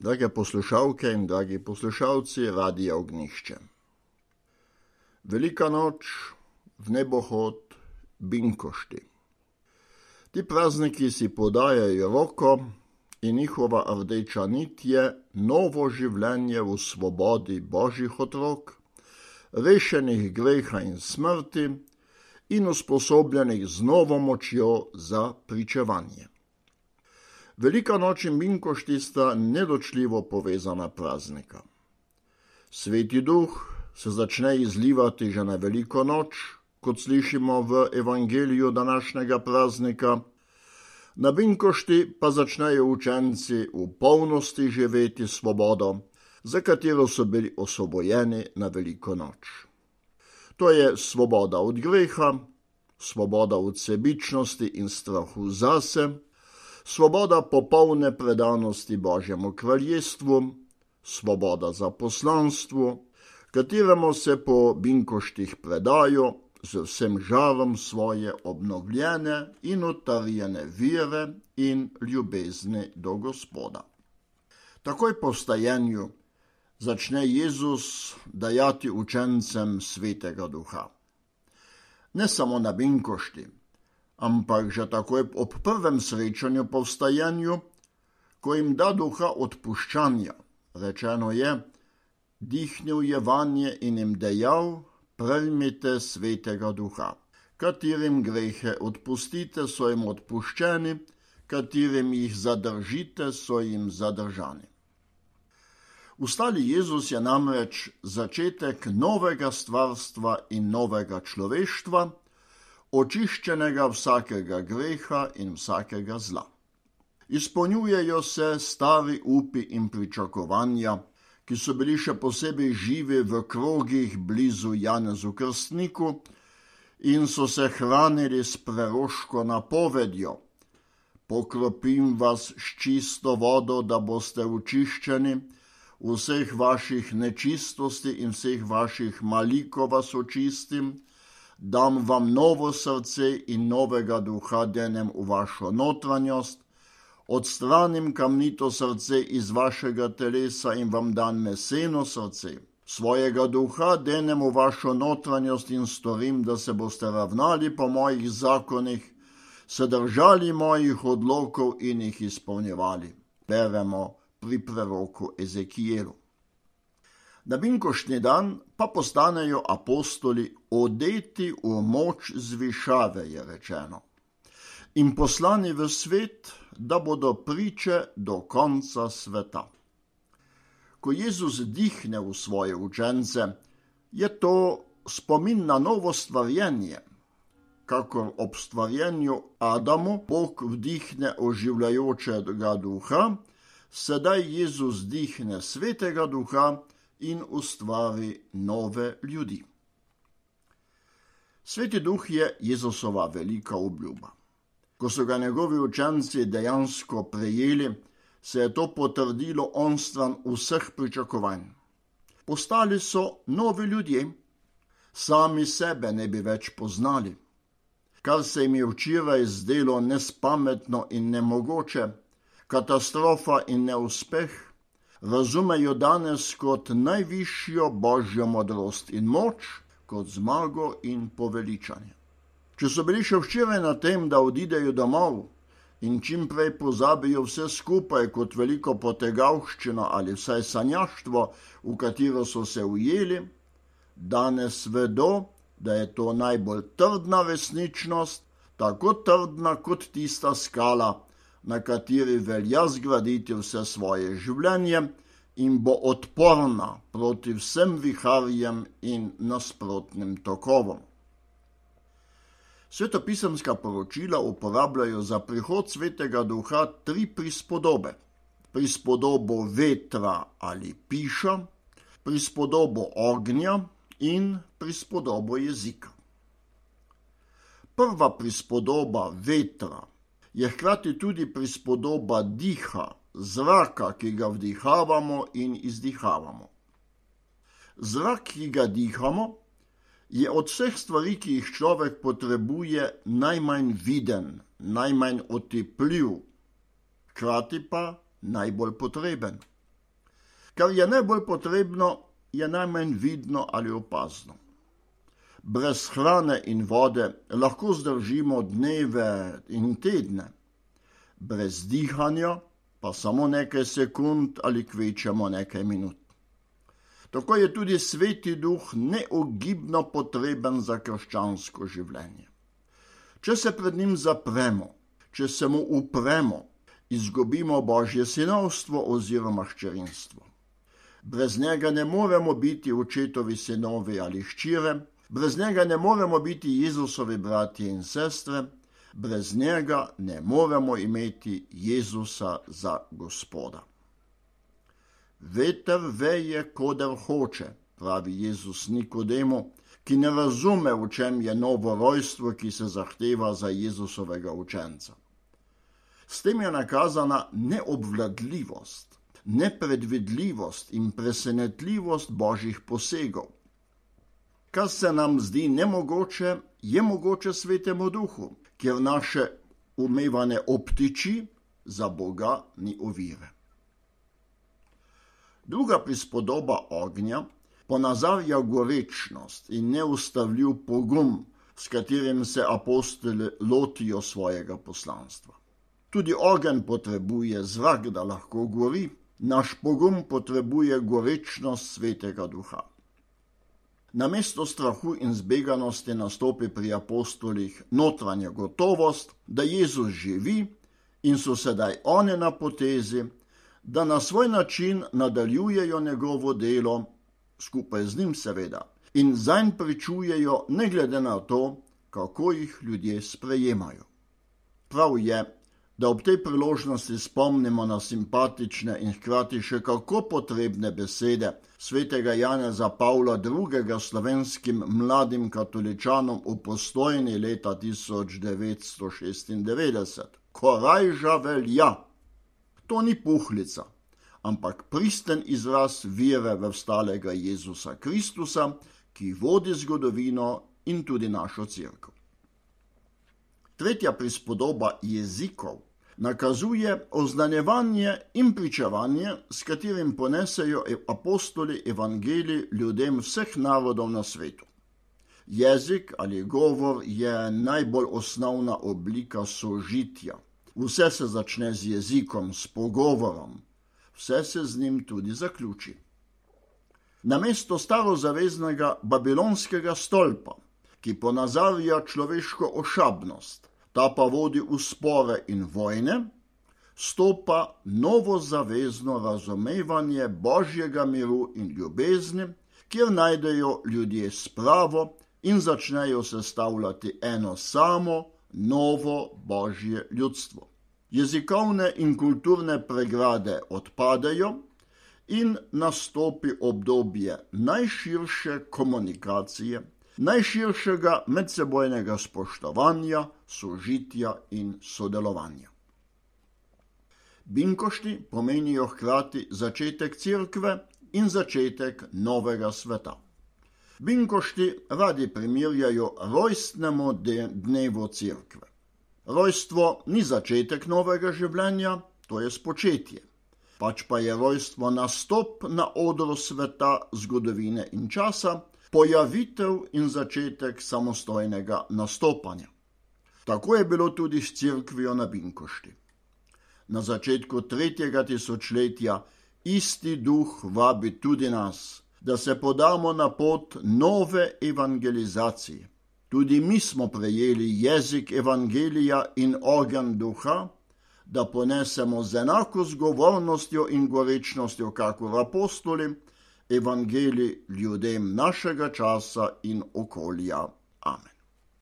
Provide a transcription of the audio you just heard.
Drage poslušalke in dragi poslušalci Radia Ognjišče. Velika noč, vnebohod, binkošti. Ti prazniki si podajajo roko in njihova rdeča nit je novo življenje v svobodi Božjih otrok, rešenih greha in smrti in usposobljenih z novo močjo za pričevanje. Velika noč in binkošti sta neločljivo povezana praznika. Sveti duh se začne izlivati že na veliko noč, kot slišimo v evangeliju današnjega praznika. Na binkošti pa začnejo učenci v polnosti živeti svobodo, za katero so bili osvobojeni na veliko noč. To je svoboda od greha, svoboda od sebičnosti in strahu zase, svoboda popolne predanosti Božjemu kraljestvu, svoboda za poslanstvo, kateremu se po binkoštih predajo z vsem žarom svoje obnovljene in utrjene vere in ljubezni do Gospoda. Takoj po vstajenju začne Jezus dajati učencem Svetega Duha. Ne samo na binkošti, ampak že takoj ob prvem srečanju po vstajenju, ko jim da duha odpuščanja. Rečeno je, dihnil je vanje in jim dejal, prejmite Svetega Duha. Katerim grehe odpustite, so jim odpuščeni, katerim jih zadržite, so jim zadržani. Vstali Jezus je namreč začetek novega stvarstva in novega človeštva, očiščenega vsakega greha in vsakega zla. Izpolnjujejo se stari upi in pričakovanja, ki so bili še posebej živi v krogih blizu Janezu Krstniku in so se hranili s preroško napovedjo: pokropim vas s čisto vodo, da boste očiščeni, vseh vaših nečistosti in vseh vaših malikov vas očistim, dam vam novo srce in novega duha denem v vašo notranjost, odstranim kamnito srce iz vašega telesa in vam dam meseno srce. Svojega duha denem v vašo notranjost in storim, da se boste ravnali po mojih zakonih, se držali mojih odlokov in jih izpolnjevali. Beremo pri preroku Ezekijelu. Na binkoštni dan pa postanejo apostoli odeti v moč zvišave, je rečeno, in poslani v svet, da bodo priče do konca sveta. Ko Jezus dihne v svoje učence, je to spomin na novo stvarjenje. Kakor ob stvarjenju Adamu Bog vdihne oživljajočega duha, sedaj Jezus dihne Svetega Duha in ustvari nove ljudi. Sveti Duh je Jezusova velika obljuba. Ko so ga njegovi učenci dejansko prejeli, se je to potrdilo onstran vseh pričakovanj. Postali so novi ljudje, sami sebe ne bi več poznali. Kar se jim je včeraj zdelo nespametno in nemogoče, katastrofa in neuspeh, razumejo danes kot najvišjo Božjo modrost in moč, kot zmago in poveličanje. Če so bili še včeraj na tem, da odidejo domov in čim prej pozabijo vse skupaj kot veliko potegavščino ali vsaj sanjaštvo, v katero so se ujeli, danes vedo, da je to najbolj trdna resničnost, tako trdna kot tista skala, na kateri velja zgraditi vse svoje življenje in bo odporna proti vsem viharjem in nasprotnim tokovom. Svetopisemska poročila uporabljajo za prihod Svetega Duha 3 prispodobe. Prispodobo vetra ali piša, prispodobo ognja in prispodobo jezika. Prva prispodoba vetra je hkrati tudi prispodoba diha, zraka, ki ga vdihavamo in izdihavamo. Zrak, ki ga dihamo, je od vseh stvari, ki jih človek potrebuje, najmanj viden, najmanj otipljiv, hkrati pa najbolj potreben. Kar je najbolj potrebno, je najmanj vidno ali opazno. Brez hrane in vode lahko zdržimo dneve in tedne, brez dihanja pa samo nekaj sekund ali kvečemo nekaj minut. Tako je tudi Sveti Duh neogibno potreben za krščansko življenje. Če se pred njim zapremo, če se mu upremo, izgubimo Božje sinovstvo oziroma hčerinstvo. Brez njega ne moremo biti očetovi sinovi ali hčire, brez njega ne moremo biti Jezusovi bratje in sestre, brez njega ne moremo imeti Jezusa za Gospoda. Veter veje, koder hoče, pravi Jezus Nikodemu, ki ne razume, v čem je novo rojstvo, ki se zahteva za Jezusovega učenca. S tem je nakazana neobvladljivost, nepredvidljivost in presenetljivost Božjih posegov. Kar se nam zdi nemogoče, je mogoče Svetemu Duhu, ker naše umevane obtiči za Boga ni ovire. Druga prispodoba ognja ponazarja gorečnost in neustavljiv pogum, s katerim se apostoli lotijo svojega poslanstva. Tudi ogenj potrebuje zrak, da lahko gori, naš pogum potrebuje gorečnost Svetega Duha. Namesto strahu in zbeganosti nastopi pri apostolih notranja gotovost, da Jezus živi in so sedaj oni na potezi, da na svoj način nadaljujejo njegovo delo, skupaj z njim seveda, in zanj pričujejo ne glede na to, kako jih ljudje sprejemajo. Prav je, da ob tej priložnosti spomnimo na simpatične in hkrati še kako potrebne besede svetega Janeza Pavla II. Slovenskim mladim katoličanom v Postojni leta 1996. Korajža velja. To ni puhlica, ampak pristen izraz vere v vstalega Jezusa Kristusa, ki vodi zgodovino in tudi našo cerkev. Tretja prispodoba jezikov nakazuje oznanjevanje in pričevanje, s katerim ponesejo apostoli evangelij ljudem vseh narodov na svetu. Jezik ali govor je najbolj osnovna oblika sožitja. Vse se začne z jezikom, s pogovorom, vse se z njim tudi zaključi. Namesto starozaveznega babilonskega stolpa, ki ponazarja človeško ošabnost, ta pa vodi v spore in vojne, stopa novozavezno razumevanje Božjega miru in ljubezni, kjer najdejo ljudje spravo in začnejo sestavljati eno samo, novo Božje ljudstvo. Jezikovne in kulturne pregrade odpadejo in nastopi obdobje najširše komunikacije, najširšega medsebojnega spoštovanja, sožitja in sodelovanja. Binkošti pomenijo hkrati začetek cerkve in začetek novega sveta. Binkošti radi primerjajo rojstnemu dnevu cerkve. Rojstvo ni začetek novega življenja, to je spočetje. Pač pa je rojstvo nastop na odru sveta, zgodovine in časa, pojavitev in začetek samostojnega nastopanja. Tako je bilo tudi s cerkvijo na Binkošti. Na začetku 3. tisočletja isti duh vabi tudi nas, da se podamo na pot nove evangelizacije. Tudi mi smo prejeli jezik evangelija in ogenj duha, da ponesemo z enako zgovornostjo in gorečnostjo, kakor apostoli, evangelij ljudem našega časa in okolja. Amen.